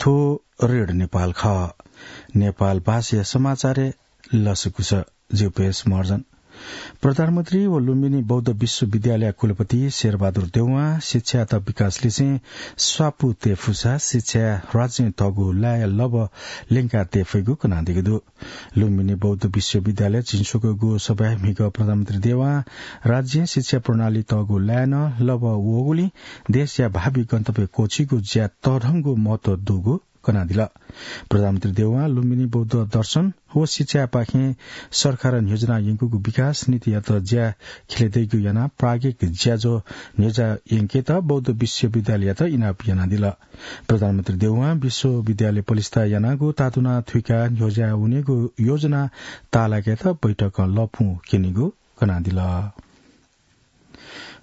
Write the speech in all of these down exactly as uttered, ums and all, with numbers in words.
रेडियो नेपाल खः। नेपाल भाषाया समाचारय् लसकुस। जिउपेश महर्जन। प्रधानमन्त्री व लुम्बिनी बौद्ध विश्वविद्यालय कुलपति शेरबहादुर देउवां शिक्षायात विकास लिसें स्वापू तये फुसा शिक्षाय् राज्यं तःगु लाय् लबः ल्यंका तये फइगु कनादीगु दु। लुम्बिनी बौद्ध विश्वविद्यालय चिंस्वकूगु सभाय् म्हिगः प्रधानमन्त्री देउवां राज्यं शिक्षा प्रणाली तःगु लाय् नं लबः वःगुलिं देशया भावी गन्तव्य क्वःछिगु ज्या तःधंगु महत्व दुगु कनादिल। प्रधानमन्त्री देउवां लुम्बिनी बौद्ध दर्शन व शिक्षापाखें सरकारं योजना यंकूगु विकास नीतियात ज्या खिले दइगु यानाः प्राज्ञिक ज्याझ्वः न्ह्यज्याः यंकेत बौद्ध विश्वविद्यालययात इनाप यानादिल। प्रधानमन्त्री देउवां विश्वविद्यालय पलिस्था यानागु तातुना थुइका न्ह्यज्याः वनेगु योजना ताःलाकेत बैठकं लँपुं क्यनीगु कनादिल।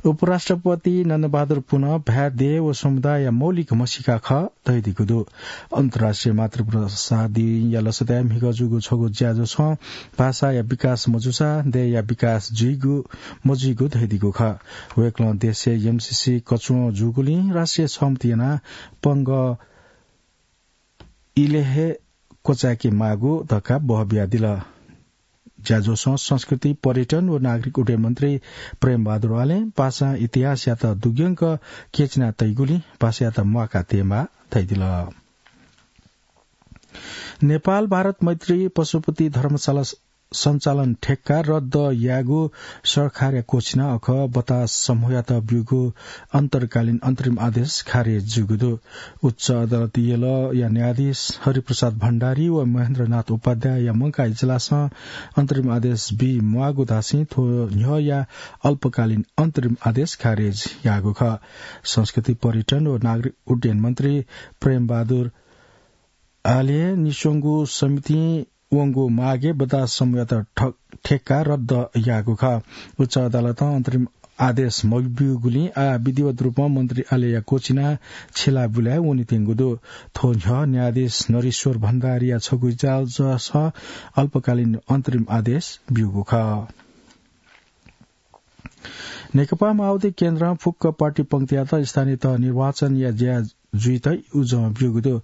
उपराष्ट्रपति नन्दबहादुर पुन भाय् देय् व समुदायया मौलिक म्हसीका खः धयादीगु दु। अन्तर्राष्ट्रिय मातृभाषा दिनया लसताय् म्हिगः जूगु छगू ज्याझ्वलय् भाषाया विकास मजूसा देय्‌या विकास जुइगु मजुइगु धयादीगु खः। वय्‌कलं देशय् एमसीसी कचुवं जूगुलिं राष्ट्रिय सहमति यानाः पंगः इलय् हे क्वचाय्‌के माःगु धकाः बहबियादिल। ज्याझ्वलय् संस्कृति, पर्यटन व नागरिक उड्डयन मन्त्री प्रेमबहादुर आलें भाषां इतिहासयात दुग्यंक क्यचिना तइगुलिं भाषायात म्वाका तयेमाः धयादिल। नेपाल भारत मैत्री पशुपति धर्मशाला सञ्चालन ठेक्का रद्द यायेगु सरकारया क्वःछिना अखः बतास समूहयात ब्यूगु अन्तकालीन अन्तरिम आदेश खारेज जूगु दु। उच्च अदालत यलया न्यायाधीश हरिप्रसाद भण्डारी व महेन्द्रनाथ उपाध्यायया मंकाः इजलासं अन्तरिम आदेश बी म्वाःगु धासें थ्व न्ह्यःया अल्पकालीन अन्तरिम आदेश खारेज याःगु खः। संस्कृति, पर्यटन व नागरिक उड्डयन मन्त्री प्रेमबहादुर आलें निस्वंगु समितिं वंगु मागय् बतास समूहयात ठ-, ठेक्का रद्द याःगु खः। उच्च अदालतं अन्तरिम आदेश मब्यूगुलिं आः विधिवत रूपं मन्त्री आलेया क्वःछिना छिला बुलाय् वनेत्यंगु दु। थ्व न्ह्यः न्यायाधीश नरेश्वर भण्डारीया छगू इजलासं अल्पकालीन अन्तरिम आदेश ब्यूगु खः। नेकपा माओवादी केन्द्रं फुक्क पार्टी पंक्तियात स्थानीय तह निर्वाचनया ज्या जुइत उजं ब्यूगु दु।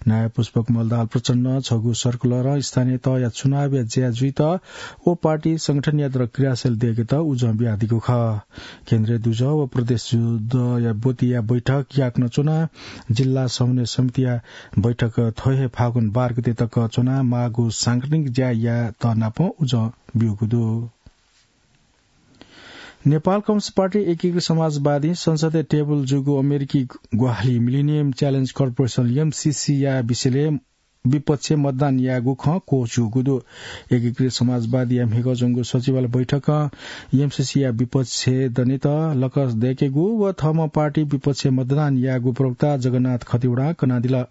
नायः पुष्पकमल दाहाल प्रचण्डं छगू सर्कुलरं स्थानीय तहया चुनावया ज्या जुइत व पार्टी संगठनयात क्रियाशील दयेकेत उजं बियादीगु खः। केन्द्रीय दुजः व प्रदेश दुजःया ब्वतिया बैठक याकनं च्वनाः जिल्ला समन्वय समितिया बैठक थ्व हे फागुन बाह्र गते तक च्वनाः माःगु सांगठनिक ज्या यायेत नापं उजं ब्यूगु दु। नेपाल कम्युनिस्ट पार्टी एकीकृत समाजवादीं संसदय् टेबल जूगु अमेरिकी ग्वाहालि मिलिनियम च्यालेन्ज कर्पोरेसन, एमसीसीया विषयलय् विपक्षय् मतदान यायेगु खँ क्वःछिउगु दु। एकीकृत समाजवादीया म्हिगः च्वंगु सचिवालय बैठकं एमसीसीया विपक्षय् दनेत लकस दय्‌केगु व थःम्हं पार्टी विपक्षय् मतदान यायेगु प्रवक्ता जगन्नाथ खतिवडां कनादिल।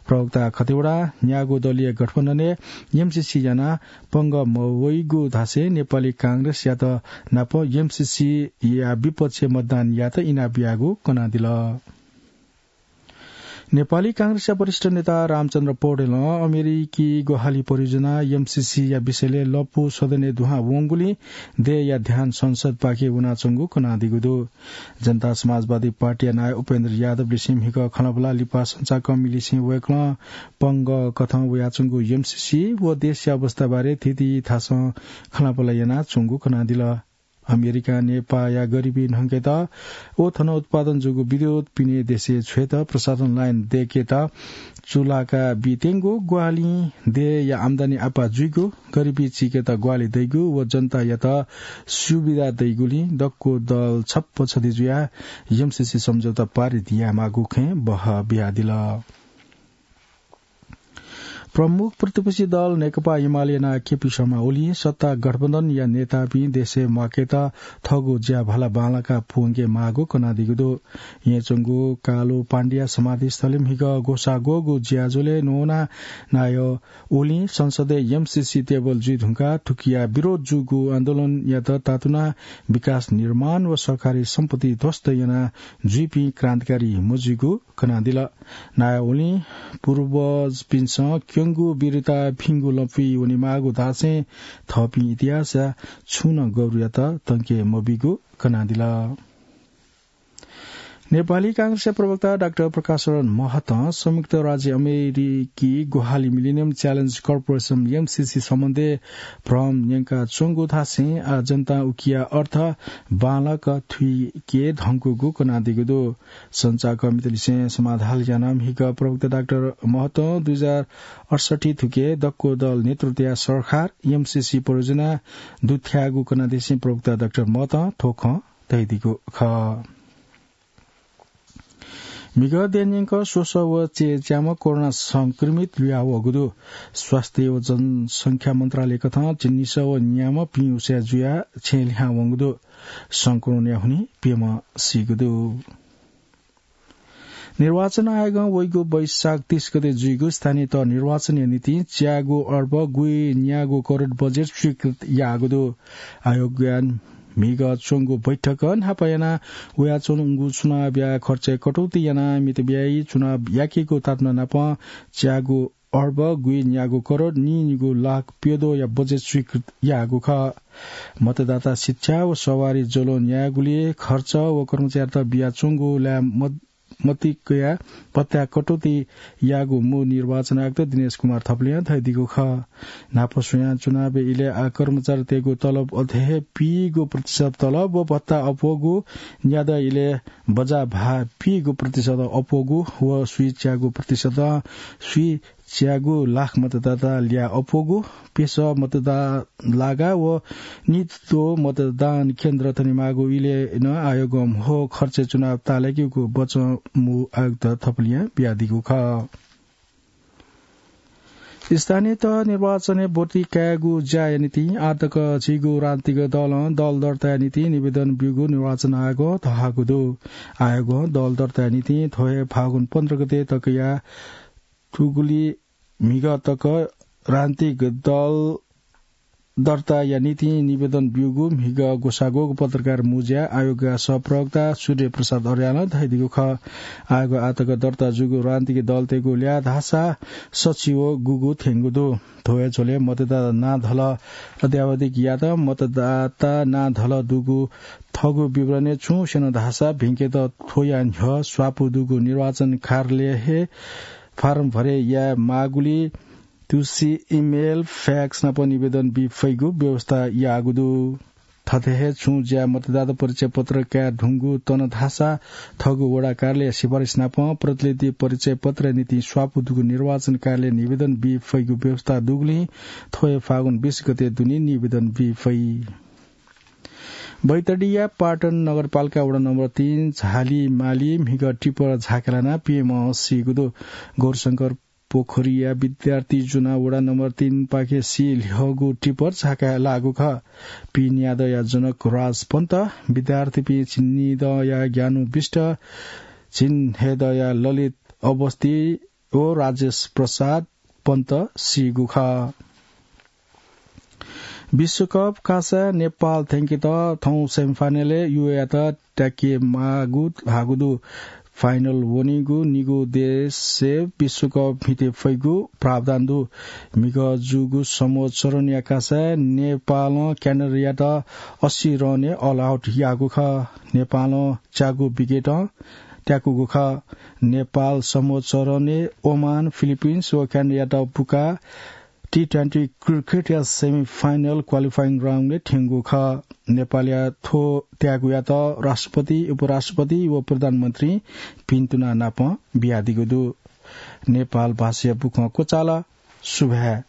प्रवक्ता खतिवडां न्यागू दलीय गठबन्धनय् एमसीसी यानाः पंगः मवइगु धासें नेपाली कांग्रेसयात नाप एमसीसीया विपक्षय् मतदान यायेत इनाप याःगु कनादिल। नेपाली कांग्रेसया वरिष्ठ नेता रामचन्द्र पौडेलं अमेरिकी ग्वाहालि परियोजना एमसीसीया विषयलय् लँपु सदनय् दुहां वंगुलिं देय्‌या ध्यान संसदपाखे वनाच्वंगु कनादीगु दु। जनता समाजवादी पार्टीया नायः उपेन्द्र यादवलिसें म्हिगः खँल्हाबल्हा लिपा सञ्चारकर्मीलिसें वय्‌कलं पंगः कथं वयाच्वंगु एमसीसी व देशया अवस्थाबारे थीथीथासं खँल्हाबल्हा यानाच्वंगु कनादिल। अमेरिकां नेपाःया गरिबी न्हंकेत व थन उत्पादन जूगु विद्युत पिने देशय् छ्वयेत प्रसारण लाइन दय्‌केत चुलाका बीत्यंगु ग्वाहालिं देय्‌या आम्दानी आपाः जुइगु, गरिबी चीकेत ग्वाहालि दइगु व जनतायात सुविधा दइगुलिं दक्व दल छप्पँ छधी जुयाः एमसीसी सम्झौता पारित यायेमाःगु खँय् बहः बियादिल। प्रमुख प्रतिपक्षी दल नेकपा एमाले नायः केपी शर्मा ओलीं सत्ता गठबन्धनया नेतापिं देशय् म्वाकेत थःगु ज्या भाला बांलाका पूवंके माःगु कनादीगु दु। येँच्वंगु कालो पाण्डेया समाधिस्थलय् म्हिगः ग्वसाः ग्वःगु ज्याझ्वलय् न्ववानाः नायः ओलीं संसदय् एमसीसी टेबल जुइ धुंकाः थुकिया विरोध जूगु आन्दोलनयात तातुनाः विकास निर्माण व सरकारी सम्पत्ति ध्वस्त याना जुइपिं क्रान्तिकारी मजुइगु कनादिल। नायः ओलीं पूर्वजपिन्सं क्यंगु वीरता भिंगु लँपुइ वनेमाःगु धासें थःपिं इतिहासया छुं नं गौरवयात तंके मबीगु कनादिल। नेपाली कांग्रेसया प्रवक्ता डाक्टर प्रकाश शरण महतं संयुक्त राज्य अमेरिकी ग्वाहालि मिलेनियम च्यालेन्ज कर्पोरेसन, एमसिसी, सम्बन्धय् भ्रम न्यंकाच्वंगु धासें आः जनतां उकिया अर्थ बांलाक थुइके धंकूगु कनादीगु दु। सञ्चारकर्मीतलिसें समाधान यानाः म्हिगः प्रवक्ता डाक्टर महतं दुई हजार अठसट्ठी थुके दक्व दल नेतृत्वया सरकार एमसिसी परियोजना दुथ्याःगु कनादेसें प्रवक्ता डाक्टर महतं थ्व खँ धयादीगु खः। म्हिगः देय् न्यंक स्वसः व चय्‌च्याम्ह कोरोना संक्रमित लुयावःगु दु। स्वास्थ्य व जनसंख्या मन्त्रालयकथं झिंनिसः व न्याम्ह पिंउसे जुयाः छेँ लिहां वंगु दु। संक्रमणया हुनिं प्यम्ह सीगु दु। निर्वाचन आयोगं वइगु वैशाख तीस गते जुइगु स्थानीय तह निर्वाचनया निंतिं च्यागू अर्ब गुइन्यागू करोड बजेट स्वीकृत याःगु दु। आयोगया म्हिगः च्वंगु बैठकं न्हापा याना वयाच्वंगु चुनावया खर्चय् कटौती यानाः मितव्ययी चुनाव याकेगु तातुना नाप च्यागू अर्ब गुइन्यागू करोड नीनिगू लाख प्यद्वःया बजेट स्वीकृत याःगु खः। मतदाता शिक्षा व सवारी ज्वलं न्यायेगुलिइ खर्च व कर्मचारीत बियाच्वंगु लाये मत-, मतिकया भत्ता कटौती याःगु मू निर्वाचन आयुक्त दिनेश कुमार थपलियां धयादीगु खः। न्हापा स्वयां चुनावया इलय् आः कर्मचारीतय्‌गु तलब अथे हे पीगू प्रतिशत तलब व भत्ता अप्वःगु, न्यादँ इलय् बजा भाः पीगू प्रतिशत अप्वःगु व स्वीच्यागू प्रतिशत स्वीच्यागू लाख मतदाता ल्याः अप्वःगु, पेसः मतदाता लागा व नित्व मतदान केन्द्र तनेमाःगु इलय् नं आयोगं म्हो खर्चय् चुनाव ताःलाकेगु वचं मू आयुक्त थपलियां बियादीगु खः। स्थानीय तह निर्वाचनय् ब्वति कायेगु ज्याया निंतिं आः तक झीगु राजनीतिक दलं दल दर्ताया निंतिं निवेदन ब्यूगु निर्वाचन आयोगं धयागु दु। आयोगं दल दर्ताया निंतिं थ्व हे फागुन पन्ध्र गते तकया थुगुली म्हिगः तक राजनीतिक दल दर्ताया निंतिं निवेदन ब्यूगु म्हिगः ग्वसाः ग्वःगु पत्रकार मुँज्याय् आयोगया सहप्रवक्ता सूर्य प्रसाद अर्यालं धयादीगु खः। आयोगं आः तक दर्ता जूगु राजनीतिक दलतय्‌गु ल्याः धाःसा सच्छि व गुगु थ्यंगु दु। थ्व हे झ्वलय् मतदाता नां धलः अद्यावधिक यात। मतदाता नां धलः दुगु थःगु विवरणय् छुं स्यन धाःसा भिंकेत थ्वया न्ह्यः स्वापू दुगु निर्वाचन कार्यालयय् हे फारम भरे याये माःगुलिइ तुसि इमेल, फ्याक्स नाप निवेदन बी फइगु व्यवस्था याःगु दु। थथे हे छुं ज्या मतदाता परिचय पत्र काये धुंगु तन धाःसा थःगु वडा कार्यालयया सिफारिस नाप प्रतिनिधि परिचय पत्रया निंतिं स्वापू दुगु निर्वाचन कार्यालयय् निवेदन बी फइगु व्यवस्था दुगुलिं थ्व हे फागुन बीस गते दुने निवेदन बी फइ। बैतडीया पाटन नगरपालिका वडा नम्बर तीन झालीमाली म्हिगः टिप्पर झाकाय् लानाः प्यम्ह सीगु दु। गौरशंकर पोखरीया विद्यार्थी जुनाः वडा नम्बर तीन पाखे सी ल्ह्यःगु टिप्पर झाकाय् लाःगु खः। पीन्यादँया जनक राज पन्त, विद्यार्थीपिं झिंनिदँया ज्ञानु विष्ट, झिंहेदँया ललित अवस्थी व राजेश प्रसाद पन्त सीगु खः। विश्वकप कासा नेपाल थ्यंकेत थौं सेमिफाइनलय् युएयात त्याके माःगु धाःगु दु। फाइनल वनीगु निगू देशय् विश्वकप म्हिते फइगु प्रावधान दु। म्हिगः जूगु समूह चरणया कासाय् नेपालं क्यानाडायात अस्सी रनय् अल आउट याःगु खः। नेपालं च्यागू विकेटं त्याकूगु खः। नेपाल समूह चरणय् ओमान, फिलिपिन्स व क्यानाडायात पुकाः टी ट्वेन्टी क्रिकेटया सेमिफाइनल क्वालिफाइङ राउन्डय् थ्यंगु खः। नेपालया थ्व त्यागुयात राष्ट्रपति, उपराष्ट्रपति व प्रधानमन्त्रीं भिन्तुना नाप बियादीगु दु। नेपाल भाषाया बुखँ क्वचाल। सुभाय्।